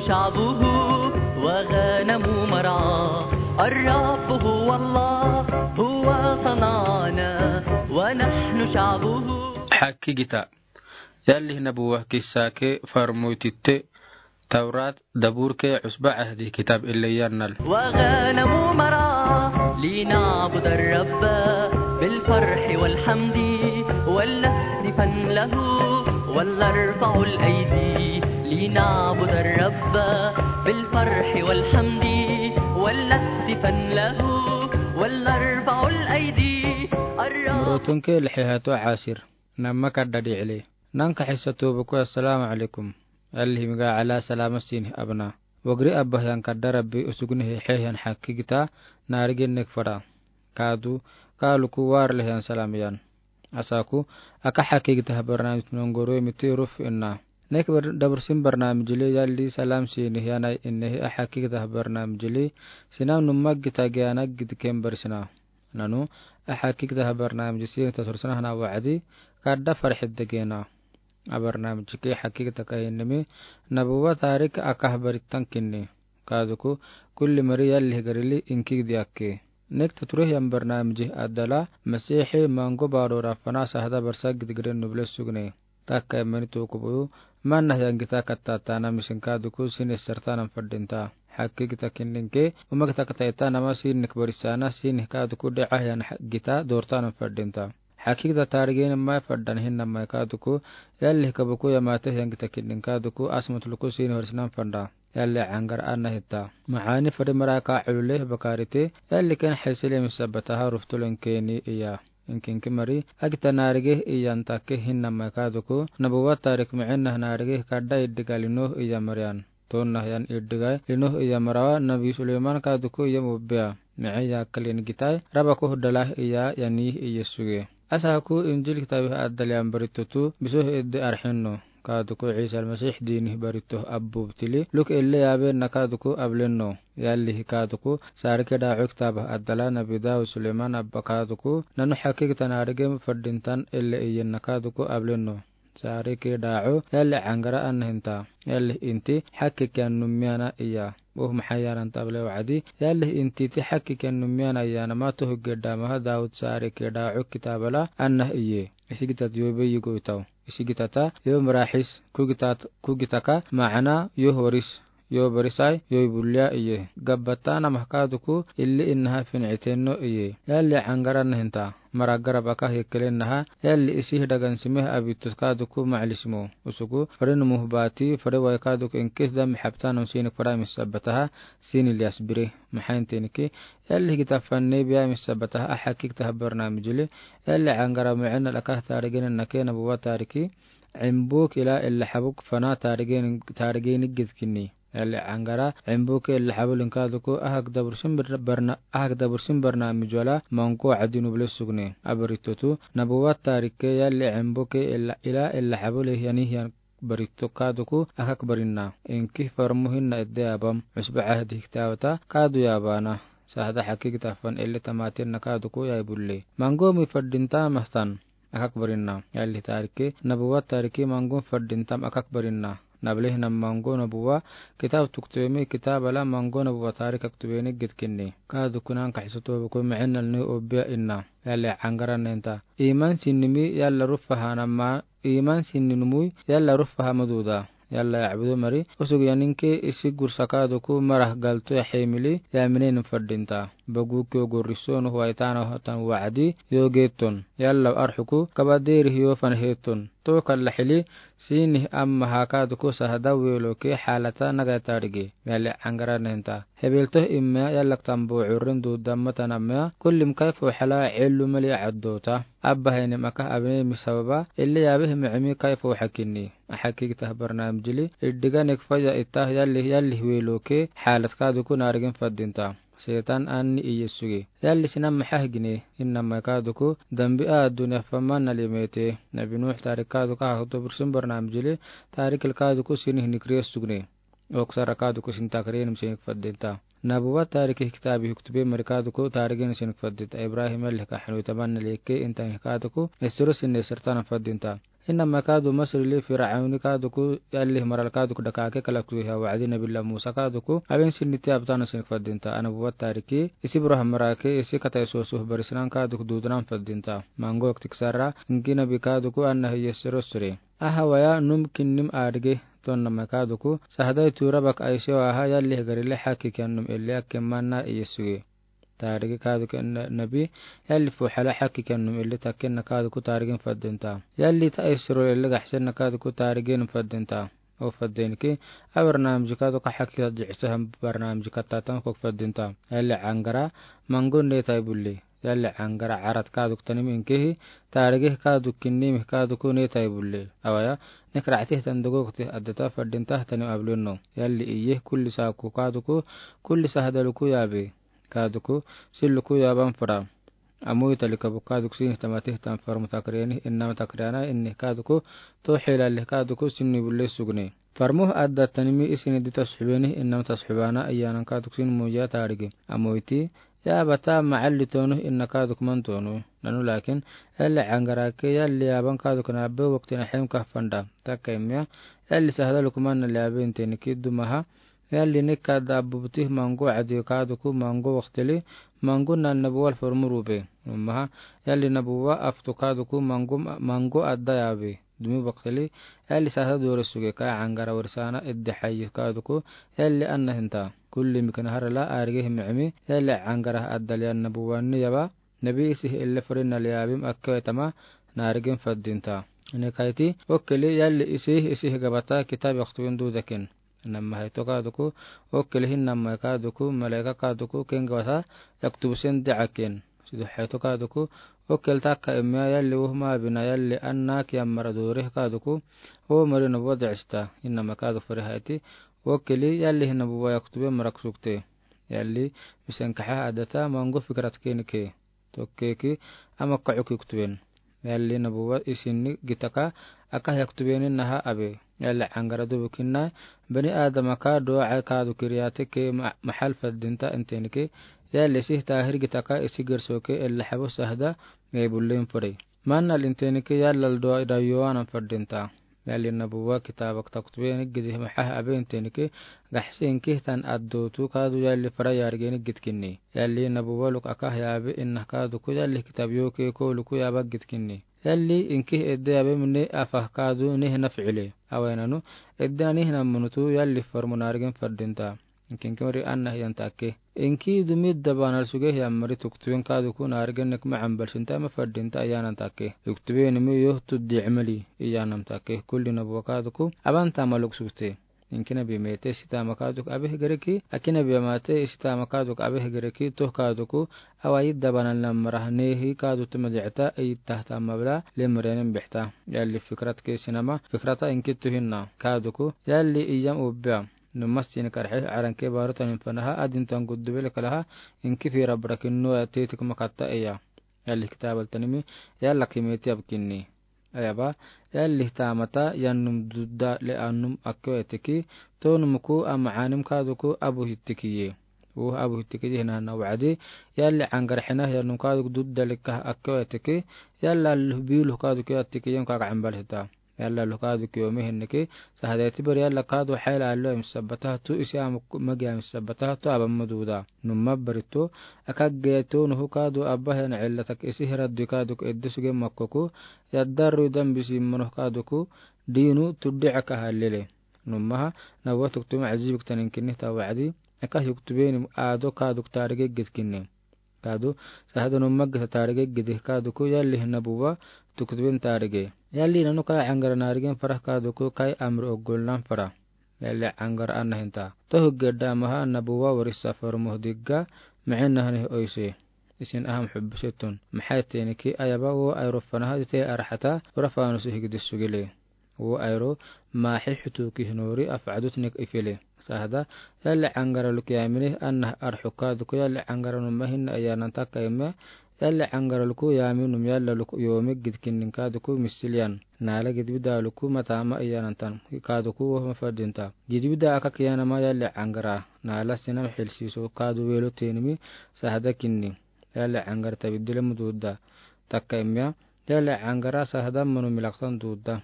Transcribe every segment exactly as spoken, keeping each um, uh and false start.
شعبه وغنم مرعاه. الرب هو الله، هو صنعنا ونحن شعبه. Hakkigita. Yalih nabuwa kissa ke farmoy titte, Tawrat, Dabur ke, Usba Ahdi kitab ille yannal. وغنم مرعاه لنعبد الرب بالفرح والحمد ولنهتفن له ولنرفع الأيدي لنعبد الرب بالفرح والحمد ولنهتفن له ولنرفع الأيدي. الرب. Morotonke lixi hato asir. Namma kadda di'ile. Nanka xissa toobako, assalaamu alaykum. Yalih miga ala salaama sinih abna. Wagri abbahiyan kadda Rabbi usugnihe xeehiyan hakkigita naarigin nek fara. Kaadu, kaaluku waarlehiyan salam iyan. Asaku, aka hakkigita barnaamij nongoro miti ruf inna. Nek bar-, dabursin barnaamijli yalli salam sinih yanai innehi a hakkigita barnaamijli, sinam numma gita giyanak gidken barsina. Nanu, a hakkigita barnaamij sinih tasursana hana wa'adi, kadda farxidda gena. A barnaamij ke hakkigita kahinnimi, nabuwa taarik aka barittan kinni. Kaaduku, kulli mari yalih garili inkig diyakke. Nek taturih yan barnaamij addala, Masiixi mango baadora fana sahada barsa gidgiden nuble sugne. Takka immani tukubuyu, manna hiyan gita kattaataana misin kaaduku sinih sartanan fadinta. Hakkigita kinninke, uma gita kattaataana ma sinih barisana sinih kaaduku de'ahiyan ha-, gita doortanan fadinta. Hakkigita taarigen mai faddan hinna mai kaaduku, yalih kabuku yamate hiyan gita kinnin kaaduku, asmatuluku sinih horsinan fanda. Yalli angara anna hitta. Maxani fadi maraka ulule bakarite, yalli ken xisile misabataha ruftulen keni iya. Inkinki mari, agita naarige iyan takke hinna mai kaaduku, nabuwa taarik micinna naarige kadda iddiga linoh iya mariyan. Tonna hiyan iddiga linoh iya marawa, Nabi Suleyman kaaduku iya mubbiya. Mici ya kalin gitai, rabaku dalah iya yani iya suge. Asaku Injil kitabi addaliyan baritotu, bisoh iddi arxinno. Kaaduku Isa Almasih dinih barito abbu btili, luk ille yaabenna kaaduku ablenno. Yallihi kaaduku, saarike daaco kitaba addala Nabi Daud Suleyman abba kaaduku, nanu hakkigita naarige fadintan ille iyenna kaaduku ablenno. Saarike daaco, yalli angara anna hinta. Yalli inti, hakkikiyan nummiyana iya. Buh maxayanan table wa'adi, yalli inti ti hakkikiyan nummiyana iyana matu hugge damaha Daud saarike daaco kitabala anna iye. Isigitat yobe yigo itaw. Isigitata, yo maraxis, kugitat, kugitaka, macana, yo horis, yo barisai, yo bulliya iye. Gabbata namah kaaduku, illi innaha fin'itenno iye. Yalli angara anna hinta. Mara garabaka hekkelennaha, yalli isih dagan simih abitus kaaduku ma'lismo. Usugu, fare numuh baati, fare wai kaaduku inkis dami xabtanam sinik fara misabataha, sini lias bire. Maxaintenki, yalli gita fanne biya misabataha, a hakkigita barnaamijli, yalli angara micinna lakah taarigen nake nabuwa taariki, cimbuk ila illa xabuk fana taarigen, taarigen gidkinni. Yalli angara, cimbuke illa xabulin kaaduku, ahak dabursin barna-, ahak dabursin barnaamij wala, mango wa'adi nuble sugne. A baritotu, nabuwa taarike yalli cimbuke illa, ila illa xabule yani hiyan barito kaaduku, akak barinna. Inki farmu hinna edde abam, Usba Ahdi kitaabata, kaadu yaabana. Sahada hakkigita fan ille tamaatinna kaaduku yai bulle. Mango mi fadinta mahtan. Akak barinna. Yalli taarike, nabuwa taarike mangun fadintam akak barinna. Nablehi nam mango nabuwa, kitab tuktubemi kitabala mango nabuwa taarik aktubeni gidkinni. Kaaduku nanka xisatobuku micinna lni obbiya inna. Yalli angara anna hinta. Iman sinnimi yalla rufaha namma, iman sinni numui yalla rufaha maduda. Yalla yacbudo mari, usug yaninke isi gursa kaaduku marah galto yaxemili, yaminen fadinta. Baguki yo gurriso nuh waitana hotan wa'adi, yo geetton. Yalla arxuku, kaba deerih yo fanheetton. Tokalla xili, sinih amma hakaaduku sahada weeloke xaalata naga taarige. Yalli angara anna hinta. Hebeltoh imma yallak tambo currin duudamma tanamma, kullim kayfo xala cellu mali caddoota. Abbahenim akah abinemi sababa, ille yaabeh micimi kayfo xakinni. A hakkigita barnaamijli, iddiga nek faya ittah yalli, yalli weeloke, xaalat kaaduku naarigin fadinta. Seetan anni iye suge. Yalli sinam maxahigine, inna mai kaaduku, dambi a adduniya faman nali meete. Nabi Nuux taarik kaaduku a huddo bursin barnaamijli, taarikil kaaduku sinih nikriye sugne. Oksara kaaduku sin takriyeni sinik fadinta. Nabuwa taarike kitaabi huktube mari kaaduku taarigeni sinik fadinta. Ibrahim yalli ka xanuitaman nali eke intan kaaduku, esiro sinne sartana fadinta. Inama kaadu Masri lɛ Fir'awn kaadu ku yalli mara la kaadu ku daka ke kala ku ya wa'adi Nabi la Musa kaadu ku aben sinni ti abtana sin fadinta. Ana buwa tariki isi bura hamara ke isi kata iso suh barisinan kaadu ku dudnan fadinta. Mango wakti kisara inki Nabi kaadu ku anna hiya siro sire. Aha waya num kinnim adige tonna ma kaadu ku sahadai tura bak aishe wa aha yalli hagari le haki kiyan num elle akke manna iye suge. Tarigi kaadu ke na-, Nabi, yalli fuhala haki kiyan num elle takke na kaadu ku tarigin fadinta. Yalli ta isro elle gahsen na kaadu ku tarigin fadinta. O fadin ki, a barnamji kaadu ka haki ta jihsa ham barnamji ka tatan kok fadinta. Yalli angara, mangun ne tai bulli. Yalli angara arat kaadu ku tanim inkehi, tarigi kaadu kinnim kaadu ku ne tai bulli. Awaya, nek ra'tih tan dogo kuti addata fadinta tanim ablunno. Yalli iye kulli sa ku kaadu ku, kulli sahadalu ku yabi. Kaadu ku, sillu ku yaban fura. Amu itali kabu kaadu ku sini tamati tan farmu takriyani, innama takriyana, inni kaadu ku, to hilali kaadu ku, sini bulle sugni. Farmu adda tanimi isini di tasxubeni, innama tasxubana, iyanan kaadu ku sini muya tarigi. Amu iti, ya bata ma'alli tonu, inna kaadu ku man tonu. Nanu lakin, yalli angara ke, yalli yaban kaadu ku na abbe wakti na hem kahfanda. Takka imya, yalli sahadalu ku man na liabe inteni ki dumaha, yalli nika dabbu butih mango adi kaadu ku mango waktili, mango na nabuwal formuru be. Numaha, yalli nabuwa aftu kaadu ku mango, mango adda yabi. Dumi waktili, yalli sasa dore suge ka angara warisana iddi hayi kaadu ku, yalli anna hinta. Kulli mikna harala arige himimi, yalli angara adda liyan nabuwa ni yaba, Nabi isih elle furi na liyabim akke wetama, narigin fadinta. Ini kaiti, okeli yalli isih, isih gabata kitab yaktubin dudakin. Namma haito kaadu ku, okeli hin namma kaadu ku, malaika kaadu ku, ken gabata, yaktubu sen da'akin. Sidu haito kaadu ku, okel takka imya yalli wuhma bina yalli anna kiyamara dore kaadu ku, o mari nabuwa da'ista. Innama kaadu furi haiti, okeli yalli hin nabuwa yaktube marak sukte. Yalli, misen kaha adata, mangu fikrat keni ke. Tokkeki ama ka'u kiktuben. Yalli nabuwa isinni gitaka aka yaktubeni naha abe. Yalli angara dubu kinna bani adama ka du'a kaadu kiriyate ke ma-, mahal fadinta inteni ke. Yalli sih tahir gitaka isi gerso ke ella habu sahda me bullin fure. Manna linteni ke yalla du'a ida yowanan fadinta. Yalli nabuwa kitaba ka taktubeni gidi maha abe inteni ke gahsi inki tan addotu kaadu yalli fara yarigeni gidkinni. Yalli nabuwa luk aka yabe inna kaadu ku yalli kitab yoke ko luku yaba gidkinni. Yalli inki edde yabe mine afah kaadu nihna fi'ile. Awaynanu edde nihna munutu yalli farmu narigen fadinta. Inki inki mari anna hiyan takke. Inki dumi dabanal suge hiyan mari tuktubin kaadu ku narigen nek ma'an balsinta ma fadinta ayanan takke. Tuktubin mi yoh tuddi amali iyanam takke. Kulli nabuwa kaadu ku aban tama luk sukte. Inki nabi mete sitama kaadu ku abe hegereki, aki nabi amate sitama kaadu ku abe hegereki, toh kaadu ku awa idda banal namara nehi kaadu tuma di'ta, idda tama bla, lemrenen bihta. Yalli fikrat ke sinama, fikrata inki tuhinna. Kaadu ku, yalli iyam ubbiya. Numas sini karhe, aran ke baru tanin fanaha, adin tan guddu bele kalaha, inki fira brakin no ya tetik makatta iya. Yalli kitabal tanimi, yalla kimeti abkinni. Ayaba, yalli tamata, yannum dudda le annum akkewa eteki, tonum ku a ma'anim kaadu ku abu hittikiye. Wuh abu hittikiye hina na wa'adi, yalli angar hina yannum kaadu ku dudda le kah akkewa eteki, yalla luh biluh kaadu ku yattikiye kaka ambal hita. Yalla luh kaadu ku yomi hinniki, sahadeti bar yalla kaadu hayla allo em sabbata tu isi am magi am sabbata tu abam maduda. Numma barito, akagge to nuhu kaadu abba hen ella tak isi hira du kaadu ku edde suge makkoku, yaddaru dan bisi manoh kaadu ku, dinu tuddi aka halele. Nummaha, nabuwa tuktubin ajib ktanin kinni ta wa'adi, aka yuktubeni ado kaadu ku tarige gidkinni. Kaadu, sahada numma gita tarige gidi kaadu ku yalli nabuwa tuktubin tarige. Yalli nanu ka angara narigen farah kaadu ku kai amri ogul nan farah. Yalli angara anna hinta. Tohu gedda maha nabuwa warisa farmuh digga, ma'in nahani oise. Isin aham hubbi setun. Maxay teeniki ayaba wo ay rufanaha dite arxata, urafaanu si higdi sugile. Wo ayro, maxi xutuki hinori afcadut nik ifile. Sahda, yalli angara luk yamini, anna arxu kaadu ku yalli angara numma hinna ayanan takka ime, yalli angara luku yami num yalla luku yomi gidkinnin kaadu ku misiliyan. Nala gidbida luku matama iyanantan, kaadu ku woh mafadinta. Gidbida aka kiyanama yalli angara, nala sinam xilsiso kaadu welo tenimi sahda kinni. Yalli angara tabidile mududa. Takka imya, Yalli Caŋgara sahdan manu milaktan duuda.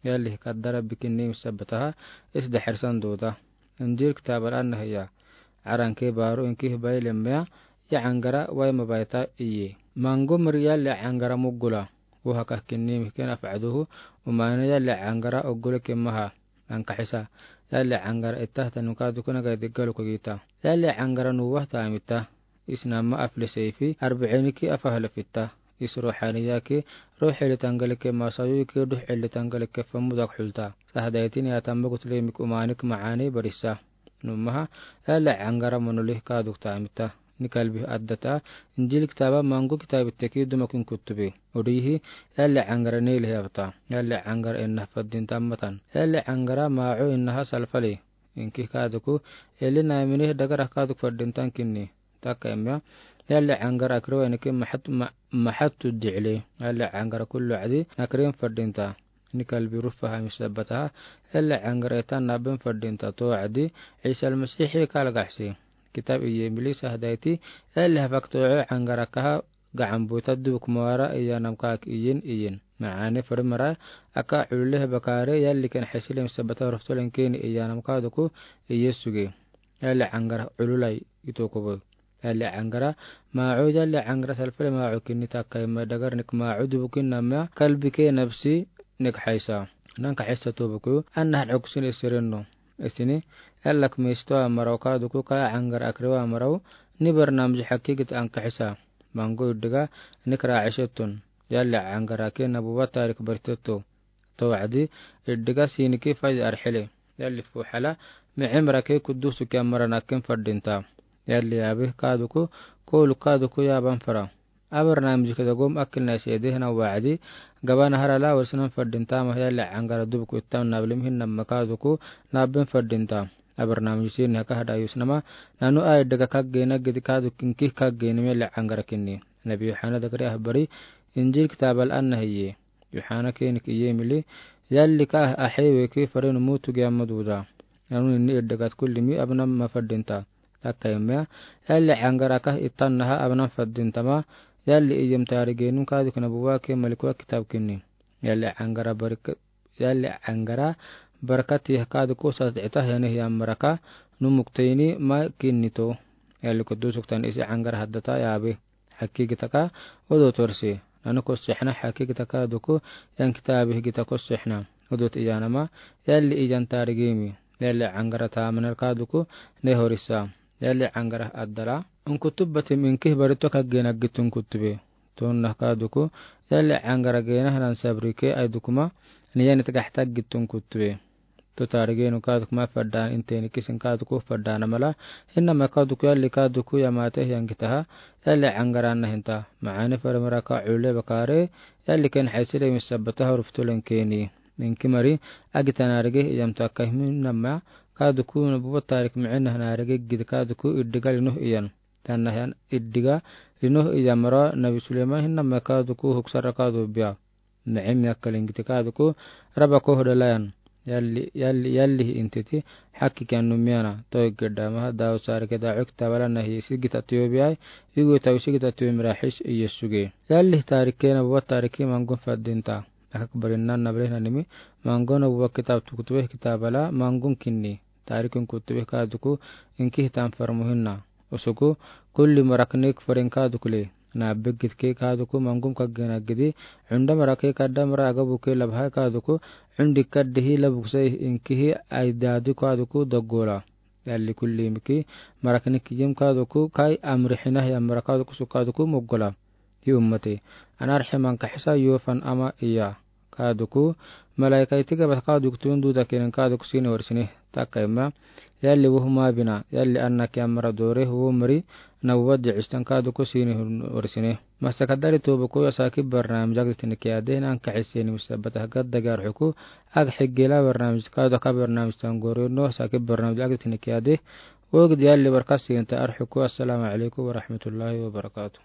Yalli kadara bikin ni misabataha is daxirsan duuda. Injil kitaaba la nahiya. Caranke baaru inki baile mea, ya Caŋgara wai mabaita iye. Maŋgo mari Yalli Caŋgara mugula. Wuha kahkin ni mikin afcaduhu, umaana Yalli Caŋgara ugula kimaha. Ankaxisa. Yalli Caŋgara itahta nuka dukuna gai diggalu kogita. Yalli Caŋgara nuwahta amita. Isnama afle seifi, arbiciiniki afahle fita. Is ruxaniyaki, ruxi li tangalike masayuki, duxi li tangalike famudak xulta. Sahdaitini atamma gutlemik umaanik macaani barisa. Numaha, Yalli Caŋgara manuli kaadukta amita. Ni kalbi addata, Injil kitaaba Maŋgo kitaabi teki dumakin kutubi. Urihi, Yalli Caŋgara ni lihiyabta. Yalli Caŋgara inna faddinta ammatan. Yalli Caŋgara maacu innaha salfali. Inki kaaduku, eli naamini dagara kaaduk faddintan kinni. Takka imya, Yalli Caŋgara akriwa iniki maxat, ma-, maxattu dicli. Yalli Caŋgara kullu cadi, nakrin faddinta. Ni kalbi rufa hamis sabataha, Yalli Caŋgara itan nabin faddinta to cadi, Ciisa Almasiixi kalgaxsi. Kitaab iye mili sahdaiti, Yalli hafak to Caŋgara kaha, gacan buta dubuk mawara iyanam kaak iyin iyin. Macaani fari mara, aka culule bakaare, Yalli ken xaisile misabata ruftolen keni iyanam kaaduku, iye suge. Yalli Caŋgara cululai ito kobo. Yalli Caŋgara, maacu Yalli Caŋgara salfale maacu kinni takka imma dagarnik maacu dubukin namya kalbike nabsi nek xaisa. Nanka xaisa tobuku, anna hal cugsin isirinno. Isini, Yallak misto amaraw kaaduku ka Caŋgara akriwa amaraw, ni barnaamij xakigit ankaxisa. Maŋgo iddiga, nik raacisettun. Yalli Caŋgara ke nabuwa taarik baritetto. To wacdi, iddiga siiniki fai arxile. Yalli fuxala, micimrake kudusuki amara nakin faddinta. Yalli yaabi kaaduku, kooluk kaaduku yaaban fara. Abarnaamij kida gom akilnai seedehna wacdi, gabana harala warsinan faddinta ma Yalli Caŋgara dubuku ittam nablim hinnama kaaduku, nabin faddinta. Abarnaamij siini haka hadayusnama, nanu a iddiga kaggeena gidi kaaduk inki kaggeena Yalli Caŋgara kinni. Nabi Yuxana dagari ahbari, Injil kitaabal anna hiye. Yuxana kenik iye mili, Yalli ka axe weki farinu mutu gi amma duda. Nanu inni iddigat kullimi abnan ma faddinta. Takka imya, Yalli Caŋgara ka itannaha abnan faddinta ma, Yalli iyam taarigenun kaaduk nabuwa ke malikuwa kitaab kinni. Yalli Caŋgara barka-, Yalli Caŋgara barkati kaaduku sasdicita hene hiyamaraka, nu muktayni ma kinni to. Yalli kudusuktan isi Caŋgara haddata yaabi. Xakigitaka, odot warsi. Nanu kossexna xakigitaka duku, yan kitaabi gita kossexna. Odot iyanama, Yalli iyan taarigimi. Yalli Caŋgara taamanar kaaduku, ne horisa. Yalli Caŋgara addala. Unkutubatim inki barito kaggeena gitun kutube. Tonna kaaduku, Yalli Caŋgara geena hanan sabrike aidukuma, ni yan itagaxta gitun kutube. To taarigenu kaaduku ma faddan inteni kisin kaaduku faddan amala. Hinnama kaaduku Yalli kaaduku yamate hiyan gitaha. Yalli Caŋgara anna hinta. Macaani fari mara ka culule bakaare. Yalli ken xaisile misabataha ruftolen keni. Inki mari, agita naarige iyam takka hinnama. Kaaduku nabuwa taarik micina naarige gidi kaaduku iddiga linoh iyan. Tanna hiyan iddiga linoh iyan mara Nabi Suleyman hinnama kaaduku huksara kaadu biya. Micim yakkalin giti kaaduku, raba koh dalayan. Yalli, Yalli, Yalli hi intiti, xakki kiyan nu miyana. Toy gedamaha, Daawud saarike daaco kitaabala nahi sigita tiyo biyai, igu tawi sigita tiyo miraxis iye suge. Yalli taarike nabuwa taariki Maŋgon faddinta. Akak barinna nabrehna nimi, Maŋgon nabuwa kitaab tukutube kitaabala Maŋgon kinni. Taarikin kutube kaaduku, inki hitan farmuhinna. Usuku, kulli maraknik farin kaadukule. Naabbegitke kaaduku Maŋgon kaggeena gidi, cunda marake kadda mara agabuke labhai kaaduku, cundi kaddihi labuksai inkihi aidaadi kaaduku daggola. Yalli kulli miki, maraknik yim kaaduku, kai amrixina hiyan mara kaaduku su kaaduku moggola. Hi ummati. Ana arximanka xisa yufan ama iya. Kaaduku, malaikaiti gabat kaaduku tun duda kenen kaaduku siini warsine. Takka imya, Yalli wuhuma bina, Yalli anna kiyan mara dore wu mari, nabuwa dicistan kaaduku siini warsine. Masa kadari tobuku ya saki barnaamij agdi tini kiyade, nanka xiseni misabata hagad dagi arxuku, ag xigila barnaamij kaadu ka barnaamij tangore no saki barnaamij agdi tini kiyade, wogdi Yalli barka siinta arxuku, assalamu alaikum warahmatullahi wabarakatuh.